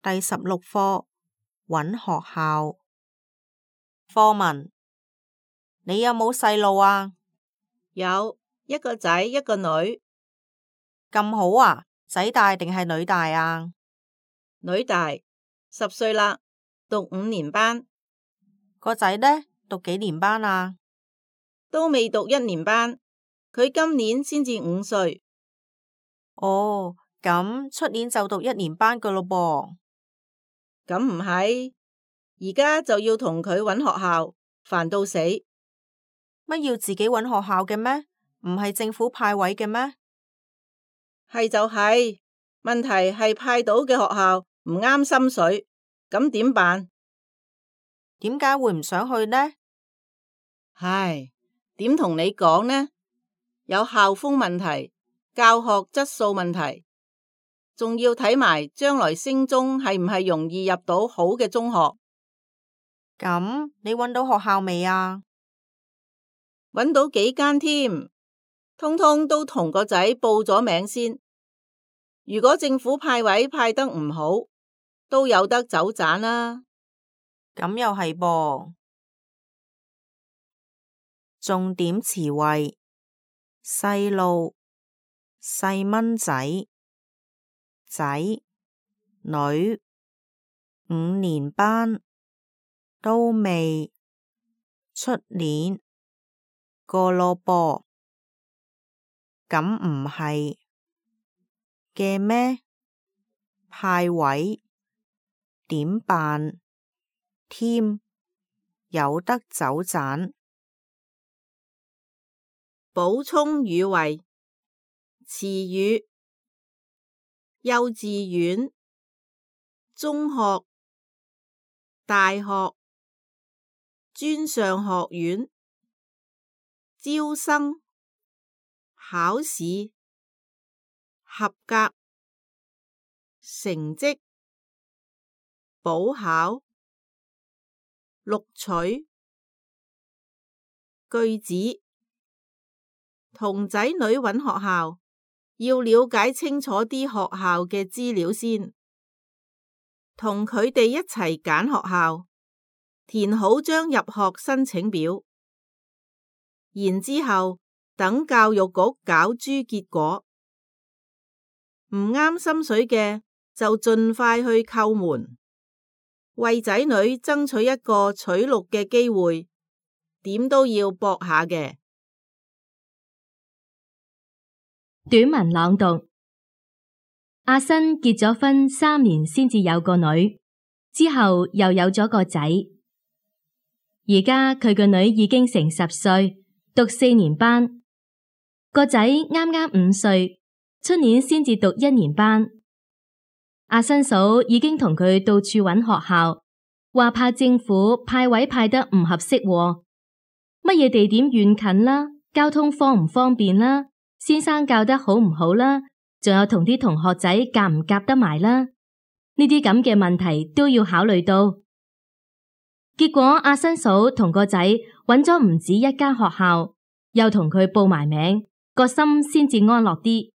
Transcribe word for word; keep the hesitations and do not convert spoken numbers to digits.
第十六課，揾學校。課文：你有冇細路啊？有，一個仔一個女。咁好啊，仔大定係女大啊？女大，十歲啦，讀五年班。個仔呢，讀幾年班啊？都未讀一年班，佢今年先至五歲。哦，咁出年就讀一年班噶咯噃。咁唔係，而家就要同佢揾學校，煩到死。乜要自己揾學校嘅咩？唔係政府派位嘅咩？係就係，問題係派到嘅學校唔啱心水，咁點辦？點解會唔想去呢？唉，點同你講呢？有校風問題，教學質素問題，仲要睇埋將來升中係唔係容易入到好嘅中學。咁你揾到學校未啊？揾到幾間添，通通都同個仔報咗名先。如果政府派位派得唔好，都有得走盞啦。咁又係噃。重點詞彙：細路、細蚊仔、仔、女、五年班、都未、出年、個咯噃。咁唔係嘅咩？派位點辦？添有得走盞。補充語彙：詞語，幼稚園、中學、大學、專上學院、招生、考試、合格、成績、補考、錄取。句子：同仔女揾學校，要了解清楚啲學校嘅資料先，同佢哋一齊揀學校，填好張入學申請表，然之後等教育局攪珠結果，唔啱心水嘅就盡快去叩門，為仔女爭取一個取錄嘅機會，點都要搏下嘅。短文朗讀：阿新結咗婚三年先至有個女，之後又有咗個仔。而家佢個女已經成十歲，讀四年班，個仔啱啱五歲，出年先至讀一年班。阿新嫂已經同佢到處揾學校，話怕政府派位派得唔合適喎，乜嘢地點遠近啦，交通方唔方便啦，先生教得好唔好啦，仲有同啲同學仔夾唔夾得埋啦，呢啲咁嘅問題都要考慮到。結果阿新嫂同個仔揾咗唔止一間學校，又同佢報埋名，個心先至安樂啲。